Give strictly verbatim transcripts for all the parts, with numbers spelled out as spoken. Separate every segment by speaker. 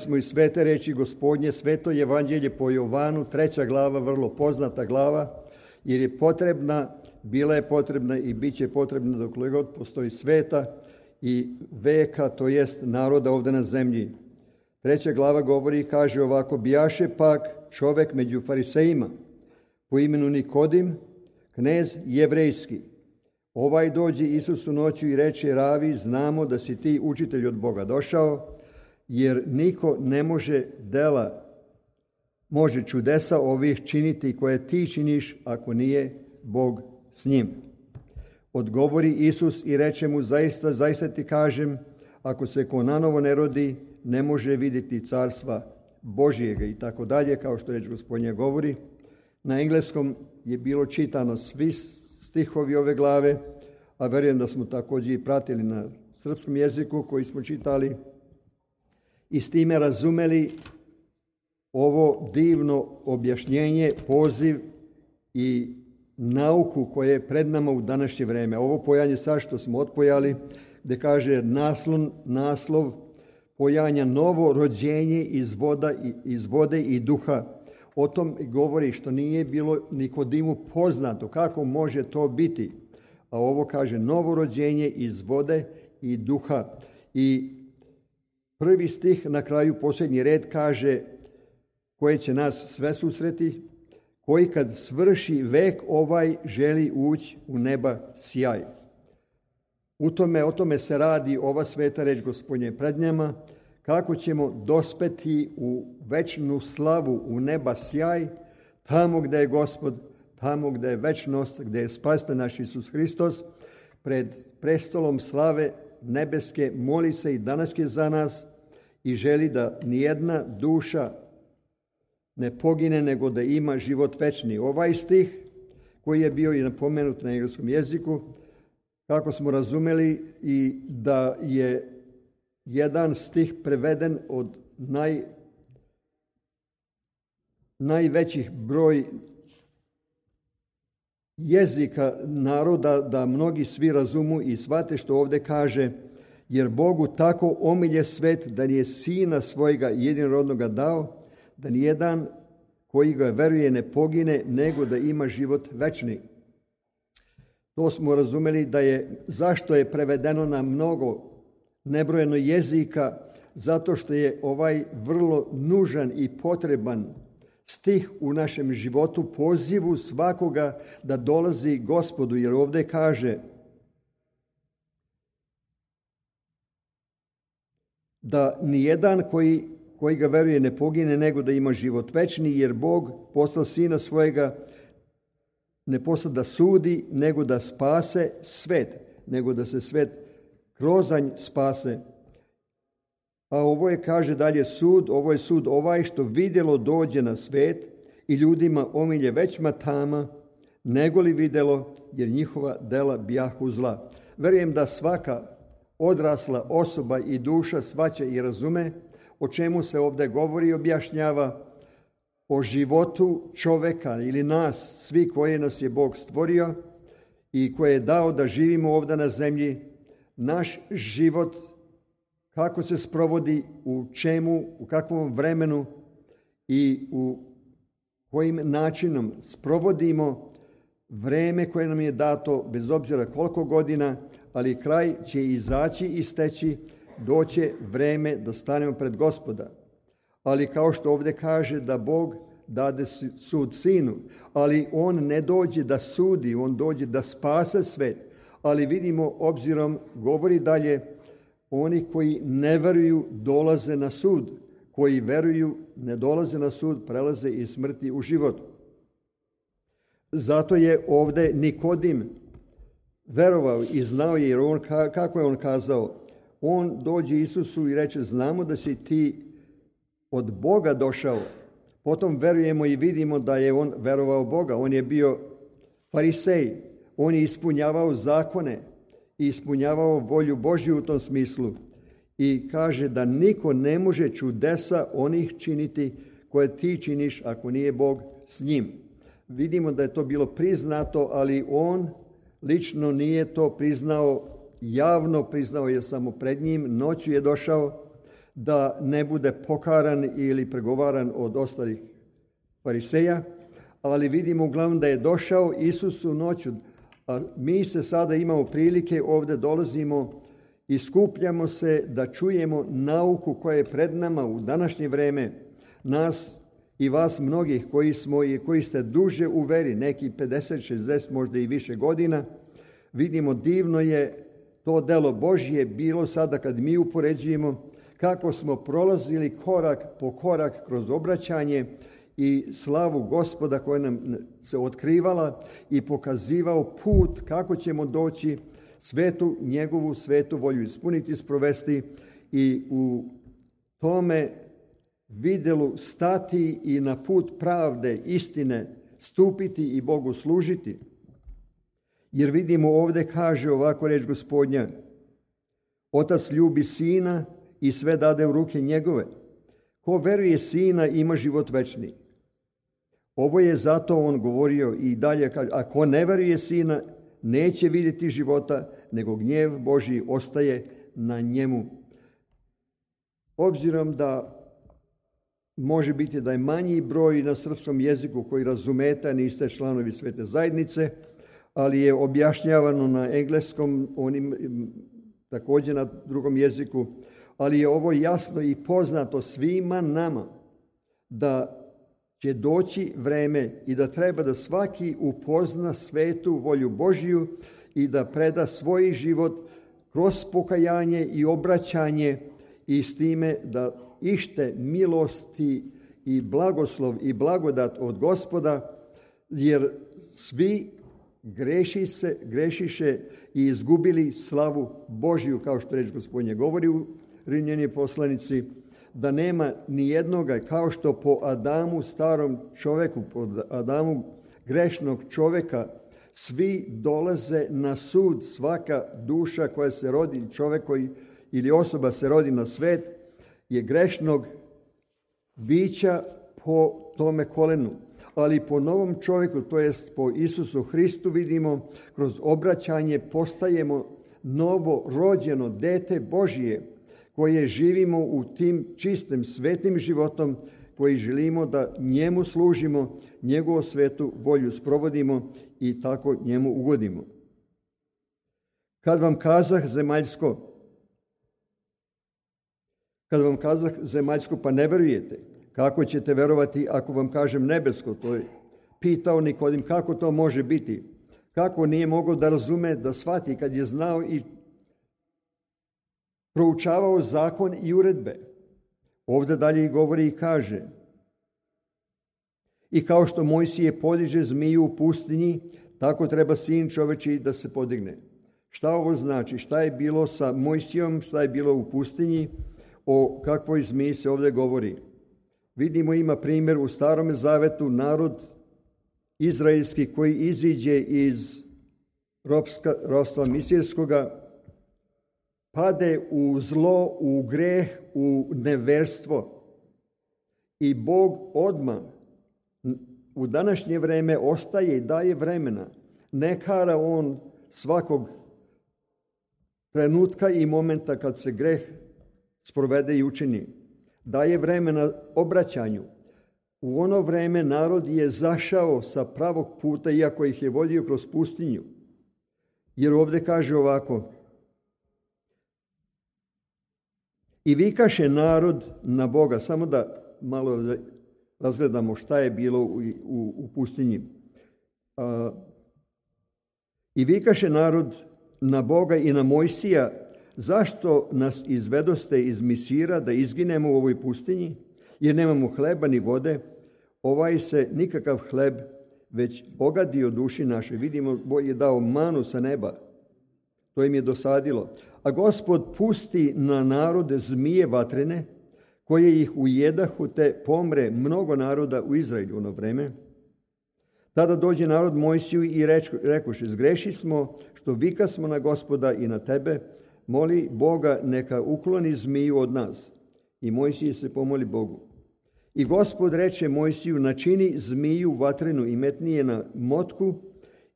Speaker 1: smo i svete reči Gospodnje, sveto evanđelje po Jovanu, treća glava, vrlo poznata glava, jer je potrebna, bila je potrebna i bit će potrebna dokle god postoji sveta i veka, to jest naroda ovdje na zemlji. Treća glava govori i kaže ovako: bijaše pak čovek među farisejima po imenu Nikodim, knez jevrejski. Ovaj dođe Isusu noću i reče: ravi, znamo da si ti učitelj od Boga došao, jer niko ne može dela, može čudesa ovih činiti koje ti činiš, ako nije Bog s njim. Odgovori Isus i reče mu: zaista, zaista ti kažem, ako se ko nanovo ne rodi, ne može vidjeti carstva Božijega, i tako dalje, kao što reč Gospodnja govori. Na engleskom je bilo čitano svi stihovi ove glave, a verujem da smo također i pratili na srpskom jeziku koji smo čitali i s time razumeli ovo divno objašnjenje, poziv i nauku koje je pred nama u današnje vreme. Ovo pojanje sad što smo otpojali, gde kaže naslov, naslov pojanja novo rođenje iz, voda, iz vode i duha. O tom govori što nije bilo Nikodimu poznato kako može to biti. A ovo kaže novo rođenje iz vode i duha. I prvi stih na kraju, posljednji red, kaže koje će nas sve susreti, koji kad svrši vek ovaj želi ući u neba sjaj. U tome, o tome se radi ova sveta reč Gospodnje pred njama, kako ćemo dospeti u večnu slavu, u neba sjaj, tamo gdje je Gospod, tamo gdje je večnost, gdje je spasitelj naš Isus Hristos, pred prestolom slave nebeske moli se i danas je za nas i želi da nijedna duša ne pogine, nego da ima život večni. Ovaj stih koji je bio i napomenut na engleskom jeziku, kako smo razumeli, i da je jedan stih preveden od naj, najvećih broj jezika naroda, da mnogi svi razumu i shvate što ovdje kaže: jer Bogu tako omilje svet da nije sina svojega jedinorodnoga dao, da nijedan koji ga veruje ne pogine, nego da ima život večni. To smo razumeli da je, zašto je prevedeno na mnogo nebrojeno jezika, zato što je ovaj vrlo nužan i potreban stih u našem životu, pozivu svakoga da dolazi Gospodu, jer ovdje kaže da nijedan koji, koji ga veruje ne pogine, nego da ima život večni, jer Bog poslao sina svojega ne poslao da sudi, nego da spase svet, nego da se svet kroz nj spase. A ovo je, kaže dalje, sud, ovo je sud ovaj što vidjelo dođe na svet i ljudima omilje većma tama, nego li vidjelo, jer njihova dela bijahu zla. Verujem da svaka odrasla osoba i duša shvaća i razume o čemu se ovdje govori i objašnjava, o životu čoveka ili nas, svi koje nas je Bog stvorio i koje je dao da živimo ovdje na zemlji. Naš život, kako se sprovodi, u čemu, u kakvom vremenu i u kojim načinom sprovodimo vreme koje nam je dato, bez obzira koliko godina, ali kraj će izaći i steći, doće vreme da stanemo pred Gospoda. Ali kao što ovdje kaže da Bog dade sud sinu, ali on ne dođe da sudi, on dođe da spase svet. Ali vidimo, obzirom, govori dalje, oni koji ne veruju dolaze na sud, koji veruju ne dolaze na sud, prelaze iz smrti u život. Zato je ovdje Nikodim verovao i znao je, jer on, kako je on kazao, on dođe Isusu i reče: znamo da si ti od Boga došao. Potom verujemo i vidimo da je on verovao Boga. On je bio farisej, on je ispunjavao zakone i ispunjavao volju Božju u tom smislu. I kaže da niko ne može čudesa onih činiti koje ti činiš, ako nije Bog s njim. Vidimo da je to bilo priznato, ali on lično nije to priznao javno, priznao je samo pred njim. Noću je došao da ne bude pokaran ili pregovaran od ostalih fariseja, ali vidimo uglavnom da je došao Isus u noću, a mi se sada imamo prilike, ovdje dolazimo i skupljamo se da čujemo nauku koja je pred nama u današnje vreme, nas i vas mnogih koji smo i koji ste duže u veri, neki pedeset, šezdeset, možda i više godina. Vidimo, divno je to delo Božje bilo sada kad mi upoređujemo kako smo prolazili korak po korak kroz obraćanje i slavu Gospoda koja nam se otkrivala i pokazivao put kako ćemo doći svetu, njegovu svetu volju ispuniti, sprovesti i u tome vidjelu stati i na put pravde, istine stupiti i Bogu služiti. Jer vidimo ovdje kaže ovako reč Gospodnja: Otac ljubi sina i sve dade u ruke njegove. Ko veruje sina ima život večni. Ovo je zato on govorio i dalje kaže: a ko ne veruje sina neće vidjeti života, nego gnjev Božji ostaje na njemu. Obzirom da može biti da je manji broj na srpskom jeziku koji razumete, niste članovi svete zajednice, ali je objašnjavano na engleskom, onim također na drugom jeziku, ali je ovo jasno i poznato svima nama da će doći vreme i da treba da svaki upozna svetu volju Božju i da preda svoj život kroz pokajanje i obraćanje i s time da ište milosti i blagoslov i blagodat od Gospoda, jer svi greši se, grešiše i izgubili slavu Božju, kao što reč Gospodnje govori u Rimljanima poslanici, da nema ni jednoga, kao što po Adamu, starom čoveku, po Adamu grešnog čoveka, svi dolaze na sud, svaka duša koja se rodi, čovek koji ili osoba se rodi na svet, je grešnog bića po tome kolenu. Ali po novom čovjeku, to jest po Isusu Hristu, vidimo kroz obraćanje postajemo novo rođeno dete Božije, koje živimo u tim čistim, svetim životom, koji želimo da njemu služimo, njegovu svetu volju sprovodimo i tako njemu ugodimo. Kad vam kazah zemaljsko, kad vam kazah zemaljsko pa ne verujete, kako ćete verovati ako vam kažem nebesko? To je pitao Nikodim, kako to može biti? Kako nije mogao da razume, da shvati kad je znao i proučavao zakon i uredbe? Ovdje dalje govori i kaže: i kao što Mojsije podiže zmiju u pustinji, tako treba sin čovečiji da se podigne. Šta ovo znači? Šta je bilo sa Mojsijom, šta je bilo u pustinji? O kakvoj zmiji se ovdje govori? Vidimo, ima primjer u Starome zavetu, narod izraelski koji iziđe iz ropska, ropstva misirskoga, pade u zlo, u greh, u neverstvo. I Bog odmah u današnje vreme ostaje i daje vremena. Ne kara on svakog trenutka i momenta kad se greh sprovede i učini. Daje vremena obraćanju. U ono vreme narod je zašao sa pravog puta, iako ih je vodio kroz pustinju. Jer ovdje kaže ovako: i vikaše narod na Boga. Samo da malo razgledamo šta je bilo u, u, u pustinji. A, I vikaše narod na Boga i na Mojsija: zašto nas izvedoste iz Misira da izginemo u ovoj pustinji? Jer nemamo hleba ni vode. Ovaj se nikakav hleb već ogadio duši naše. Vidimo, Bog je dao manu sa neba. To im je dosadilo. A Gospod pusti na narode zmije vatrene, koje ih ujedahu, te pomre mnogo naroda u Izraelju ono vreme. Tada dođe narod Mojsiju i rekoše: zgreši smo što vika smo na Gospoda i na tebe, moli Boga neka ukloni zmiju od nas. I Mojsije se pomoli Bogu. I Gospod reče Mojsiju: načini zmiju vatrenu i metni je na motku,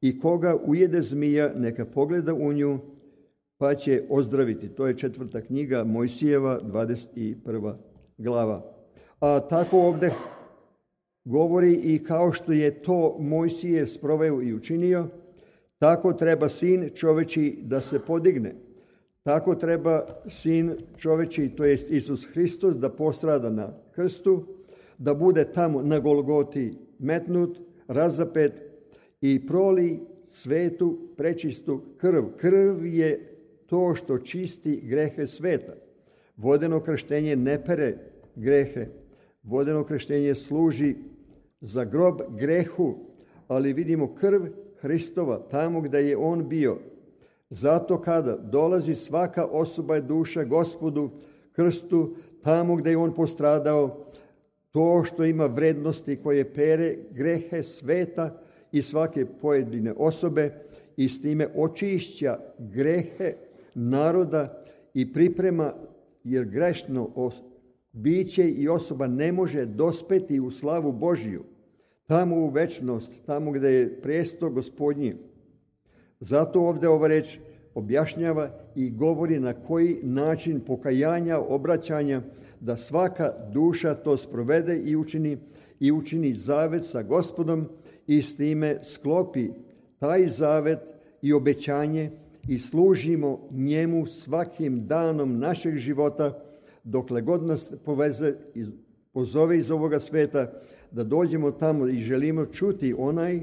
Speaker 1: i koga ujede zmija neka pogleda u nju, pa će ozdraviti. To je četvrta knjiga Mojsijeva, dvadeset prva glava. A tako ovdje govori i kao što je to Mojsije sproveo i učinio, tako treba sin čoveči da se podigne. Tako treba sin čoveči, to jest Isus Hristos, da postrada na krstu, da bude tamo na Golgoti metnut, razapet i proli svetu prečistu krv. Krv je to što čisti grehe sveta. Vodeno krštenje ne pere grehe. Vodeno krštenje služi za grob grehu, ali vidimo krv Hristova tamo gdje je on bio. Zato kada dolazi svaka osoba i duša Gospodu krstu, tamo gdje je on postradao, to što ima vrednosti koje pere grehe sveta i svake pojedine osobe i s time očišća grehe naroda i priprema, jer grešno biće i osoba ne može dospeti u slavu Božiju, tamo u večnost, tamo gdje je presto Gospodnji. Zato ovdje ova reč objašnjava i govori na koji način pokajanja, obraćanja, da svaka duša to sprovede i učini, i učini zavet sa Gospodom i s time sklopi taj zavet i obećanje i služimo njemu svakim danom našeg života, dokle god nas poveze, pozove iz ovoga sveta, da dođemo tamo i želimo čuti onaj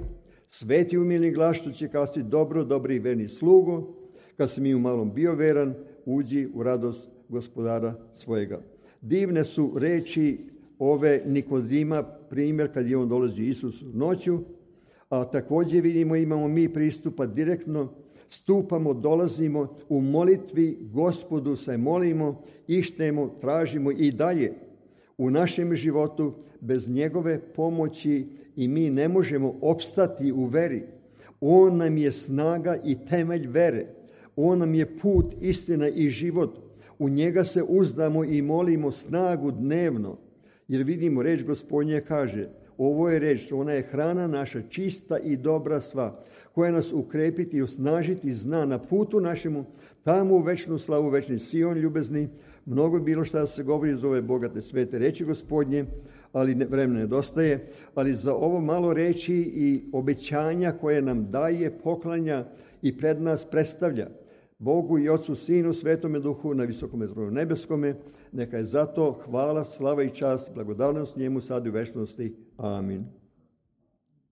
Speaker 1: sveti umilni glas što će kazati: dobro, dobri i verni slugo, kad si mi u malom bio veran, uđi u radost gospodara svojega. Divne su reči ove Nikodima, primjer kad je on dolazi Isus noću, a također vidimo imamo mi pristupa direktno, stupamo, dolazimo u molitvi Gospodu, se molimo, ištemo, tražimo i dalje. U našem životu bez njegove pomoći i mi ne možemo opstati u veri. On nam je snaga i temelj vere. On nam je put, istina i život. U njega se uzdamo i molimo snagu dnevno. Jer vidimo, reč Gospodnje kaže, ovo je reč, ona je hrana naša čista i dobra sva, koja nas ukrepiti i osnažiti zna na putu našemu, tamo u večnu slavu, večni Sion ljubezni. Mnogo je bilo šta se govori iz ove bogate svete reči Gospodnje, ali ne, vremena nedostaje, ali za ovo malo reči i obećanja koje nam daje, poklanja i pred nas predstavlja Bogu i Otcu, Sinu, Svetome Duhu na visokome tronu nebeskome, neka je zato hvala, slava i čast, blagodarnost njemu sad i u večnosti. Amin.